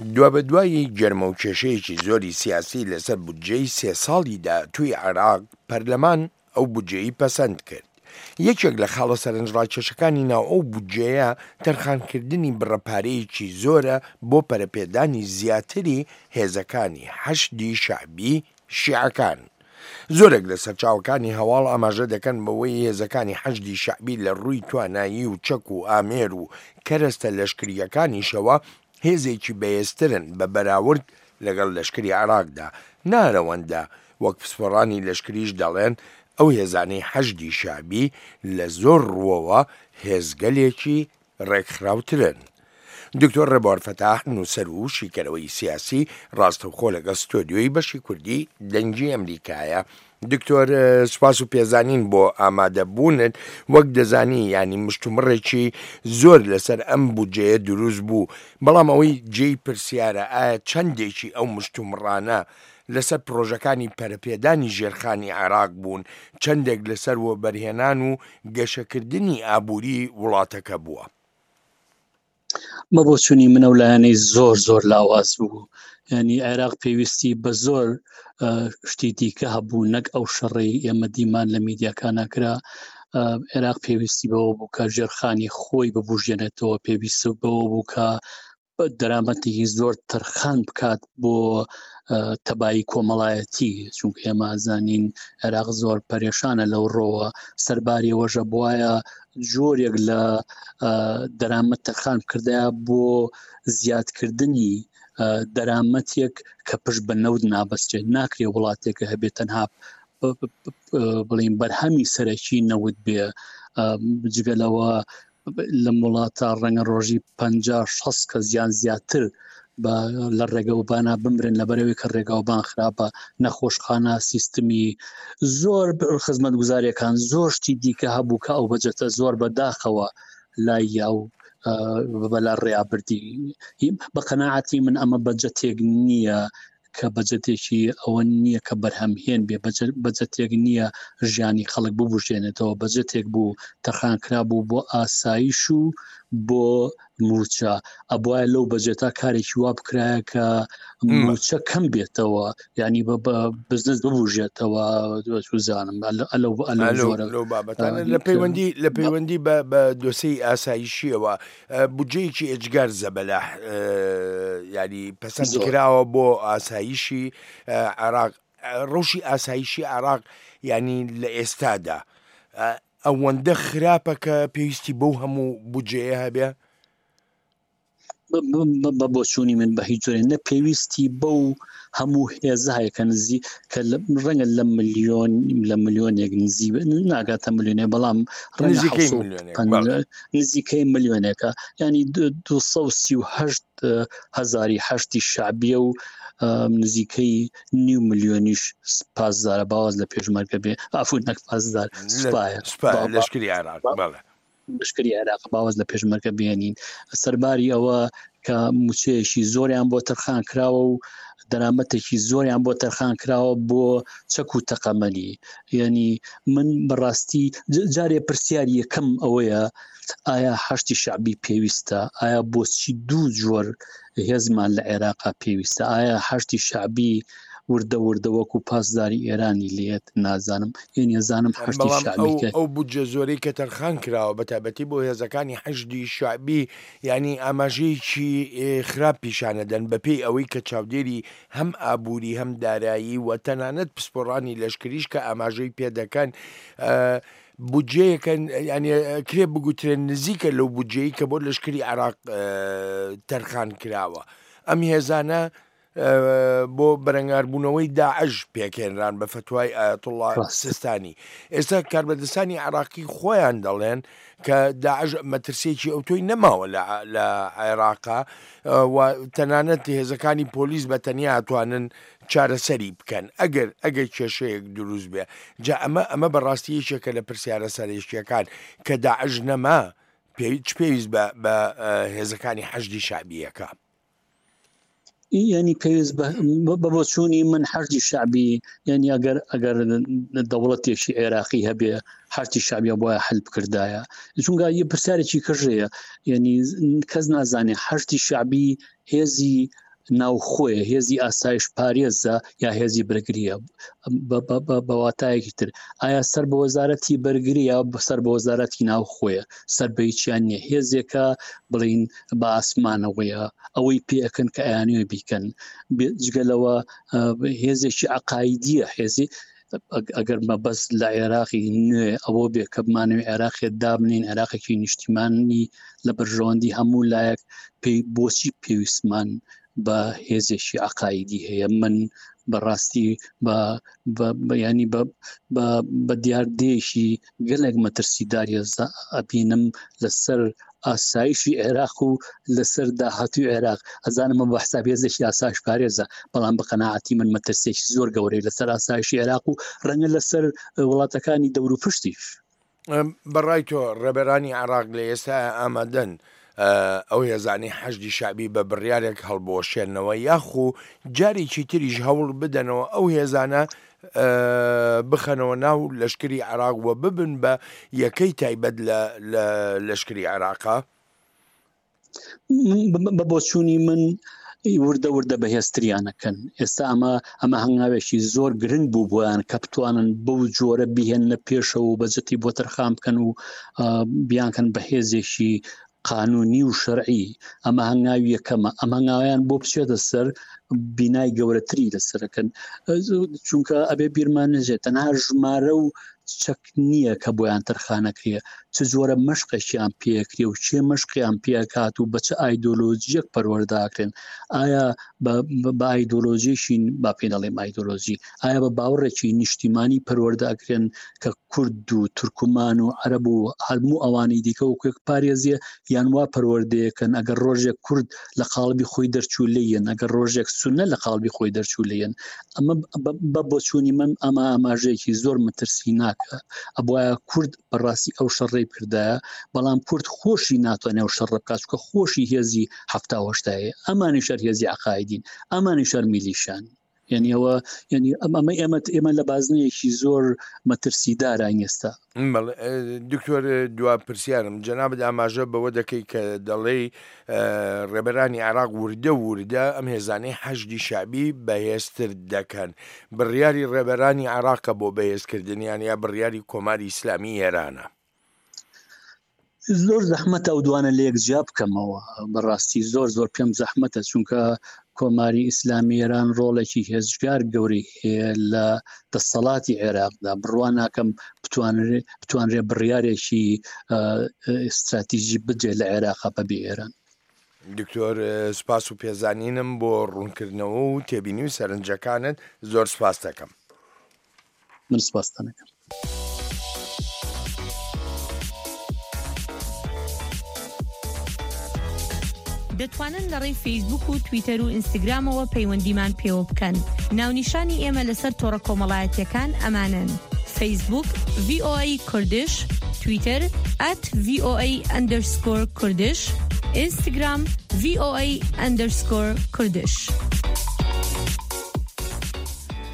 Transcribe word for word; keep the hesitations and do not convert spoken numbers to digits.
دوابەدوای گەرمەوکێشەیەکی زۆری سیاسی لەسەر بودجەی سێ ساڵی داهاتووی عێراق، پەرلەمان ئەو بودجەیەی پەسەند کرد. یەکێک لە خاڵە سەرنجڕاکێشەکانی ناو ئەو بودجەیە تەرخانکردنی بڕە پارەیەکی زۆرە بۆ پەرەپێدانی زیاتری هێزەکانی حەشدی شەعبی شیعەکان. زۆرێک لە سەرچاوەکانی هەواڵ ئاماژە دەکەن بەوەی هێزەکانی حەشدی شەعبی لە ڕووی توانایی و چەک و ئامێر و کەرەستە لەشکرییەکانیشەوە هێزێکی بەهێزترن بە بەراورد لەگەڵ لەشکری عێراقدا، نارەوەندە، وەک پسپۆڕانی لەشکریش دەڵێن ئەو هێزانەی حەشدی شەعبی لە زۆر ڕووەوە هێزگەلێکی ڕێکخراوترن. دکتۆر ڕێبوار فەتاح، نووسەر و شیکەرەوەی سیاسی، ڕاستەوخۆ لەگەڵ ستۆدیۆی بەشی کوردی دەنگی ئەمریکایە. دکتۆر سوپاس و پێزانین بۆ ئامادەبوونت. وەک دەزانی یانی مشتومڕێکی زۆر لەسەر ئەم بودجەیە دروست بوو، بەڵام ئەوەی جێی پرسیارە ئایا چەندێکی ئەو مشتومڕانە لەسەر پرۆژەکانی پەرەپێدانی ژێرخانی عێراق بوون، چەندێک لەسەر وەبەرهێنان و گەشەکردنی ئابووری وڵاتەکە بووە؟ بە بۆچوونی من ئەو لایەنەی زۆر زۆر لاواز بوو. یعنی عێراق پێویستی بە زۆر شتی دیکە هەبوو، نەک ئەو شەڕەی ئێمە دیمان لە میدیاکانە کرا. عێراق پێویستی بەوە بوو کە ژێرخانی خۆی ببوژێنێتەوە، پێویستی بەوە بوو کە دەرامەتێکی زۆر تەرخان بکات بۆ تەبایی کۆمەڵایەتی، چونکە ئێمە زانین عێراق زۆر پەرێشانە لەو ڕۆوە. سەرباری وەژە بواە جۆرێک لە دەرامەت تەرخان بکردایە بۆ زیادکردنی دەرامەتێک کە پشت بە نەوت نابەستێت. ناکرێ وڵاتێکە هەبێت تەنها بڵین بەرهەمی سەرەکی نەوت بێ. جگە لەوە لەم وڵاتە ڕەنگە ڕۆژی پەنجا شەست کەس یان زیاتر لە ڕێگەوبانە بمرن لەبەرەوەی کە ڕێگەوبان خراپە، نەخۆشخانە، سیستمی زۆر خزمەتگوزاریەکان، زۆر شتی دیکە هەبوو کە ئەو بەجەتە زۆر بەداخەوە لای یا و بەلا ڕێابردی. بە قەناعەتی من ئەمە بەجەتێک نییە کە بەجەتێکی ئەوە نییە کە بەرهەمهێن بێ، بەجەتێک نییە ژیانی خەڵک ببژێنێتەوە، بەجەتێک بوو تەرخان کرا بوو بۆ ئاسایش و بۆ موچە. ئەبواە لەو بەجێتا کارێکی وا بکرایە کە موچە کەم بێتەوە، ینی بە بزنس ببژێتەوە. زانم لەو بابەتانە لە پەیوەندی لە پەیوەندی بە دۆسیی ئاسایشیەوە بودجەیەکی ئێجگار زەبەلاح ینی پەسەند کراوە بۆ ئاسایشی عێراق. ڕەوشی ئاسایشی عێراق ینی لە ئێستادا ئەوەندە خراپە کە پێویستی بەو هەموو بودجەیە هەبێ؟ بە بۆچوونی من بە هیچ جۆرێ نە پێویستی بەو هەموو هێزە هەیە کە نزی کە ڕەنگە لە ملیۆن لە ملیۆنێک نزی ناگاتە ملیۆنێ، بەڵام نزیکەی ملیۆنێکە، ینی دوو سەد و سی و هەشت هەزاری هەشتی شعبیە و نزیکەی نیو ملیۆنیش پاسدارە، باواز لە پێشمەرگە بێ، ئافو نەک پاسدار، سوپایە، لەشکری عێراق، بەڵێ لەشکری عێراق باواز لە پێشمەرگە بێنین. سەرباری ئەوە کە موچەیەکی زۆریان بۆ تەرخان کراوە و دەرامەتێکی زۆریان بۆ تەرخان کراوە بۆ چەک و تەقەمەنی. یعنی من بەڕاستی جارێ پرسیاری یەکەم ئەوەیە ئایا حەشدی شەعبی پێویستە؟ ئایا بۆچی دوو جۆر هێزمان لە عێراقا پێویستە؟ ئایا حەشدی شەعبی وردە وردە وەکو پاسداری ئێرانی لێت؟ نازانم. یعنی زانم حەشدی شەعبی ئەو بودجە زۆرەی کە تەرخان کراوە بە تایبەتی بۆ هێزەکانی حەشدی شەعبی یعنی ئاماژەیەکی خراپ پیشانەدەن بەپێی ئەوەی کە چاودێری هەم ئابووری هەم دارایی و تەنانەت پسپۆڕانی لەشکریش کە ئاماژەی پێدەکەن بودجەیەکە یعنی کرێ بگوترێن نزیکە لەو بودجەیە کە بۆ لەشکری عێراق تەرخان کراوە. ئەم هێزانە بۆ بەرەنگاربوونەوەی داعش پێکهێنران بە فتوای ئایەتوڵڵا سیستانی. ئێستا کاربەدەستانی عێراقی خۆیان دەڵێن کە داعش مەترسیەکی ئەوتۆی نەماوە لە عێراقا و تەنانەت هێزەکانی پۆلیس بە تەنیا توانن چارەسەری بکەن ئەگەر ئەگەر کێشەیەک دروست بێ. جا ئەمە ئەمە بەڕاستی یەکێکە لە پرسیارە سەرەکییەکان کە داعش نەما چ پێویست بە هێزەکانی حەشدی شەعبیەکە؟ یعنی پێویست بە بۆچوونی من حەشدی شەعبی، یعنی ئەگەر ئەگەر دەوڵەتێکی عێراقی هەبێ حەشدی شەعبیە بۆیە حل بکردایە. چونکە یە پرسیارێکی کەژەیە، یعنی کەس نازانێ حەشدی شەعبی هێزی ناوخۆیە، هێزی ئاسایش پارێزە یا هێزی بەرگریە؟ بە واتایەکی تر ئایا سەر بە وەزارەتی بەرگری یا سەر بە وەزارەتی ناوخۆیە؟ سەر بە هیچیان نییە. هێزێکە بڵین بە ئاسمانەوەیە، ئەوەی پێەکەن کە ئەیانەوێ بیکەن. جگە لەوە هێزێکی عەقایدیە، هێزی ئەگەر مەبەست لە عێراقی نوێ ئەوە بێ کە بمانەوێ عێراقێ دابنین، عێراقێکی نیشتیمانی لە بەرژەوەندی هەموو لایەک، پێی بۆچی پێویستمان بە هێزێکی عەقایدی هەیە؟ من بەڕاستی ینی بە دیاردەیەکی گەلێک مەترسیداری ئەبینم لەسەر ئاسایشی عێراق و لەسەر داهاتوی عێراق. ئەزانم بە حساب هێزێکی ئاسایش پارێزە، بەڵام بە قەناعەتی من مەترسیێکی زۆر گەورەی لەسەر ئاسایشی عێراق و ڕەنگە لەسەر وڵاتەکانی دەور و پشتیش. بەڕای تۆ ڕێبەرانی عێراق لە ئێستا ئامادەن ئەو هێزانەی حەشدی شەعبی بە بڕیارێک هەڵبوەشێنەوە یاخو جارێکی تریش هەوڵ بدەنەوە ئەو هێزانە بخەنەوە ناو لەشکری عێراق و ببن بە یەکەی تایبەت لە لەشکری عێراقا؟ بە بۆچوونی من وردە وردە بەهێزتریانەکەن. ئێستا ئەمە ئەمە هەنگاوێکی زۆر گرنگ بوو بۆیان کە بتوانن بەو جۆرە بیهێننە پێشەوە و بەجەتی بۆ تەرخان بکەن و بیانکەن بەهێزێکی قانونی و شەرعی. ئەمە هەنگاوی یەکەمە. ئەم هەنگاویان بۆ بچێتە سەر بینای گەورەتری لەسەرەکەن، چونکە ئەبێ بیرمان نەژێت تەنها ژمارە و چەک نییە کە بۆیان تەرخانەکرێ، چ جۆرە مەشقێکیان پێکرێ و چێ مەشقیان پێکات و بە چ ئایدۆلۆژیەک پەروەرداکرێن. ئایا بە ئایدۆلۆژیشی با پێ دەڵێم ئایدۆلۆژی، ئایا بە باوەڕێکی نیشتیمانی پەروەرداکرێن کە کورد و تورکمان و عەرەب و هەموو ئەوانەی دیکە و کوێک پارێزیە، یان وا پەروەردەیەکەن ئەگەر ڕۆژێک کورد لە قاڵبی خۆی دەرچوو لێیەن، ئەگەر ڕۆژێک سوننە لە قاڵبی خۆی دەرچوو لێیەن. ئەمە بە بۆچوونی من ئەمە ئاماژەیەکی زۆر مەترسی ناکە. ئەبوایە کورد بەڕاستی ئەو شەڕەی بکردایە، بەڵام کورد خۆشی ناتوانێت ئەو شەڕە بکات، چونکە خۆشی هێزی حەفتا و هەشتایە، ئەمانی شەر هێزی عەقایدین، ئەمانی شەر میلیشان. یعنی ئەوە یعنی ئەمە ئێمە ئێمە لە بازنەیەکی زۆر مەترسیداراین ئێستا. دکتۆر دوا پرسیارم، جەنابت ئاماژە بەوە دەکەی کە دەڵێی ڕێبەرانی عێراق وردە وردە ئەم هێزانەی حەشدی شەعبی بەهێزتر دەکەن. بڕیاری ڕێبەرانی عێراقە بۆ بەهێزکردنیان یا بڕیاری کۆماری ئیسلامی ئێرانە؟ زۆر زەحمەتە ئەو دوانە لە یەک جیا بکەمەوە. بەڕاستی زۆر زۆر پێم زەحمەتە، چونکە کۆماری ئیسلامی ئێران ڕۆڵێکی هێزگار گەورەی هەیە لە دەسەڵاتی عێراقدا. بڕوا ناکەم بتوانرێ بڕیارێکی ئستراتیژی بدرێت لە عێراقا بەبێ ئێران. دکتۆر سپاس و پێزانینم بۆ ڕوونکردنەوە و تێبینی و سەرنجەکانت، زۆر سپاس دەکەم. من سپاستان دەکەم. دەتوانن لە ڕێی فەیسبوک و تویتەر و ئینستاگرامەوە پەیوەندیمان پێوە بکەن. ناونیشانی ئێمە لەسەر تۆڕە کۆمەڵایەتیەکان ئەمانن: فەیسبوک ڤی ئۆ ئەی کوردش، تویتەر ئەت ڤی ئۆ ئەی ئەندەرسکۆر کوردش، ئینستاگرام ڤی ئۆ ئەی ئەندەرسکۆر کوردش.